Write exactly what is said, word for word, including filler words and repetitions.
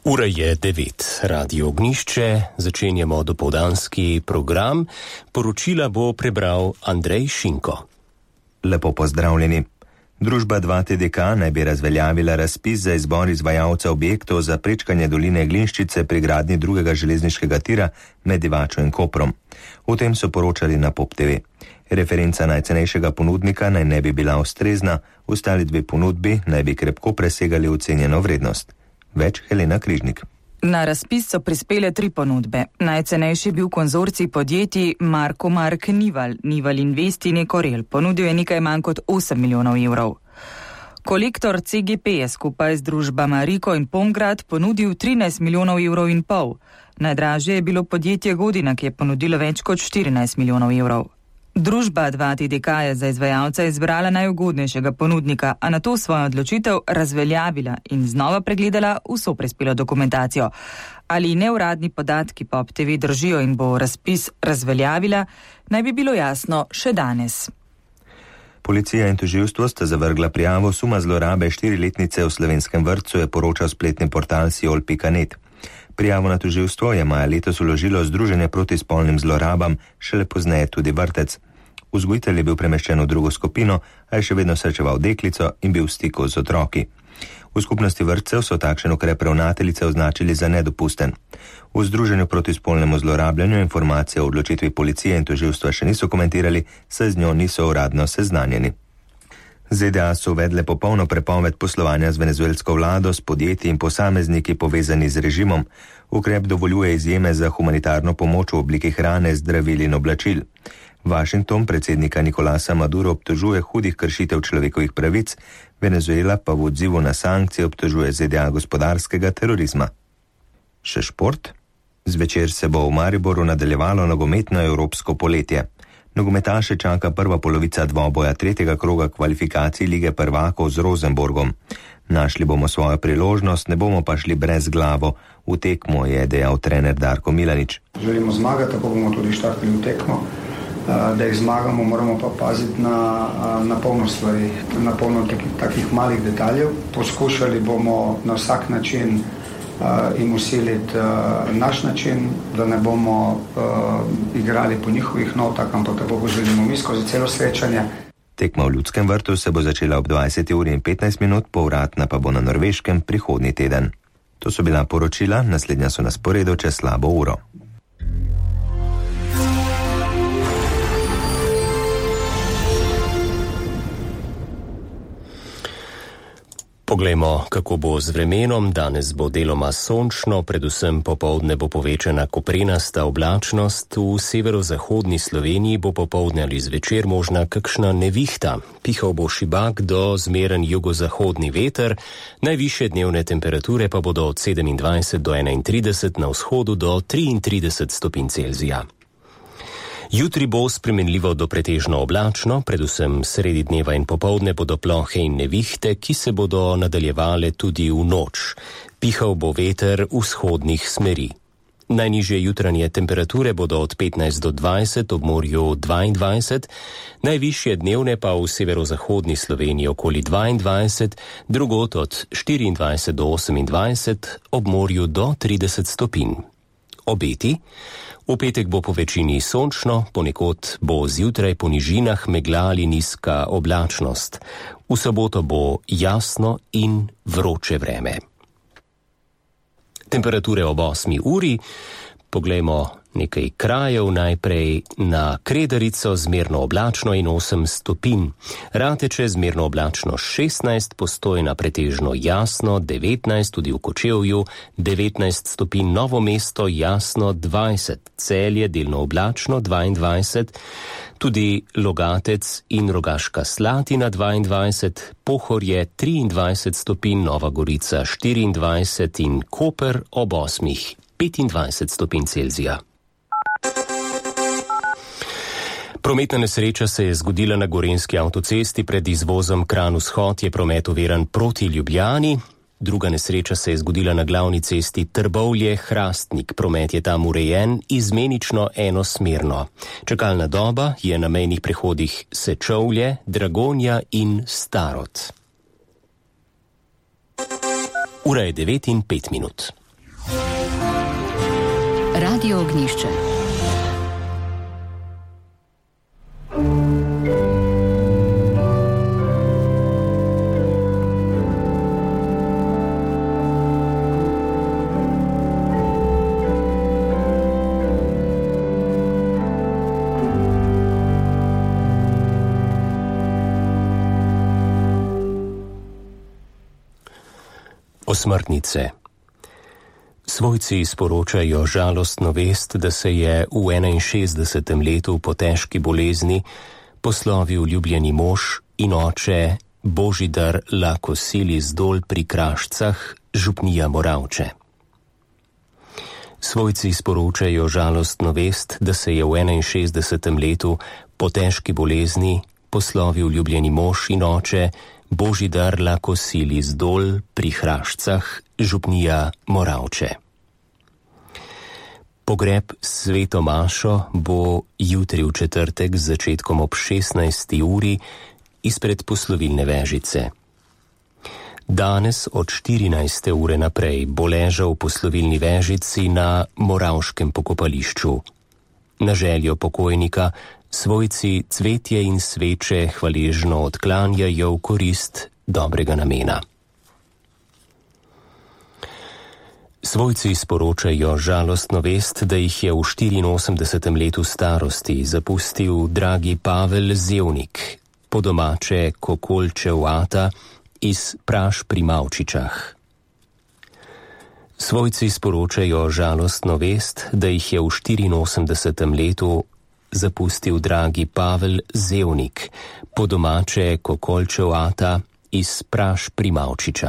Ura je devet, Radio Ognjišče, začenjamo dopoldanski program. Poročila bo prebral Andrej Šinko. Lepo pozdravljeni. Družba dva T D K naj bi razveljavila razpis za izbor izvajalca objektov za prečkanje doline Glinščice pri gradnji drugega železniškega tira med Divačo in Koprom. O tem so poročali na Pop T V. Referenca najcenejšega ponudnika naj ne bi bila ustrezna, ostali dve ponudbi naj bi krepko presegali ocenjeno vrednost. Več Helena Križnik. Na razpis so prispele tri ponudbe. Najcenejši je bil konzorcij podjetij Marko Mark Nival, Nival Invest in Ekorel. Ponudil je nekaj manj kot osem milijonov evrov. Kolektor C G P je skupaj z družbama Riko in Pomgrad ponudil trinajst milijonov evrov in pol. Najdražje je bilo podjetje Godina, ki je ponudilo več kot štirinajst milijonov evrov. Družba dva T D K je za izvajalca izbrala najugodnejšega ponudnika, a na to svojo odločitev razveljavila in znova pregledala vso prispelo dokumentacijo. Ali neuradni podatki Pop T V držijo in bo razpis razveljavila, naj bi bilo jasno še danes. Policija in tožilstvo sta zavrgla prijavo suma zlorabe štiriletnice v slovenskem vrtcu, je poročal spletni portal siol pika net. Prijavo na tožilstvo je maja letos vložilo Združenje proti spolnim zlorabam, šele pozneje tudi vrtec. Vzgojitelj je bil premeščen v drugo skupino, a je še vedno srečeval deklico in bil v stiku z otroki. V skupnosti vrtcev so takšen ukrep ravnateljice označili za nedopusten. V Združenju proti spolnemu zlorabljanju informacije o odločitvi policije in tožilstva še niso komentirali, saj z njo niso uradno seznanjeni. Z D A so uvedle popolno prepoved poslovanja z venezuelsko vlado, s podjetji in posamezniki povezani z režimom. Ukrep dovoljuje izjeme za humanitarno pomoč v obliki hrane, zdravil in oblačil. Washington predsednika Nicolasa Maduro obtožuje hudih kršitev človekovih pravic, Venezuela pa v odzivu na sankcije obtožuje Z D A gospodarskega terorizma. Še šport? Zvečer se bo v Mariboru nadaljevalo nogometno evropsko poletje. Nogometaše čaka prva polovica dvoboja tretjega kroga kvalifikacij Lige prvakov z Rosenborgom. Našli bomo svojo priložnost, ne bomo pa šli brez glavo. V tekmo je dejal trener Darko Milanič. Želimo zmagati, tako bomo tudi štartili v tekmo. Da jih zmagamo, moramo pa paziti na, na polno stvari, na polno takih, takih malih detaljev. Poskušali bomo na vsak način Uh, in usiliti uh, naš način, da ne bomo uh, igrali po njihovih notah, ampak tako bo želimo mi skozi celo srečanje. Tekma v Ljudskem vrtu se bo začela ob dvajseti uri in petnajst minut, povratna pa bo na Norveškem prihodnji teden. To so bila poročila, naslednja so na sporedu čez slabo uro. Poglejmo, kako bo z vremenom. Danes bo deloma sončno, predvsem popoldne bo povečana koprenasta oblačnost. V severozahodni Sloveniji bo popoldne ali zvečer možna kakšna nevihta. Pihal bo šibak do zmeren jugozahodni veter, najvišje dnevne temperature pa bodo od sedemindvajset do enaintrideset, na vzhodu do triintrideset stopinj Celzija. Jutri bo spremenljivo do pretežno oblačno, predvsem sredi dneva in popoldne bodo plohe in nevihte, ki se bodo nadaljevale tudi v noč. Pihal bo veter vzhodnih smeri. Najnižje jutranje temperature bodo od petnajst do dvajset, ob morju dvaindvajset, najvišje dnevne pa v severozahodni Sloveniji okoli dvaindvajset, drugod od štiriindvajset do osemindvajset, ob morju do trideset stopinj. Obeti? V petek bo po večini sončno, ponekod bo zjutraj po nižinah megla ali nizka oblačnost. V soboto bo jasno in vroče vreme. Temperature ob osmi uri, poglejmo nekaj krajev, najprej na Kredarico zmerno oblačno in osem stopinj. Rateče zmerno oblačno šestnajst, Postojna pretežno jasno devetnajst, tudi v Kočevju devetnajst stopinj, Novo mesto jasno dvajset, Celje delno oblačno dvaindvajset, tudi Logatec in Rogaška Slatina dvaindvajset, Pohorje triindvajset stopinj, Nova Gorica štiriindvajset in Koper ob osmih petindvajset stopinj Celzija. Prometna nesreča se je zgodila na Gorenjski avtocesti pred izvozom Kranj-Vzhod, je promet oviran proti Ljubljani. Druga nesreča se je zgodila na glavni cesti Trbovlje-Hrastnik. Promet je tam urejen izmenično enosmerno. Čakalna doba je na mejnih prehodih Sečovlje, Dragonja in Starod. Ura je devet in pet minut. Radio Ognišče. Osmrtnice. Svojci sporočajo žalostno vest, da se je v enainšestdesetem letu po težki bolezni poslovil ljubljeni mož in oče Božidar Lakosilis Dol pri Krašcah, župnija Moravče. Svojci sporočajo žalostno vest, da se je v enainšestdesetem letu po težki bolezni poslovil ljubljeni mož in oče Božidar Lakosilis Dol pri Krašcah, župnija Moravče. Pogreb s sveto mašo bo jutri v četrtek z začetkom ob šestnajsti uri izpred poslovilne vežice. Danes od štirinajste ure naprej bo ležal v poslovilni vežici na moravškem pokopališču. Na željo pokojnika svojci cvetje in sveče hvaležno odklanjajo v korist dobrega namena. Svojci sporočajo žalostno vest, da jih je v štiriinosemdesetem letu starosti zapustil dragi Pavel Zevnik, po domače Kokolčev ata iz Praš pri Mavčičah. Svojci sporočajo žalostno vest, da jih je v štiriinosemdesetem letu zapustil dragi Pavel Zevnik, po domače Kokolčev ata iz Praš pri Mavčičah.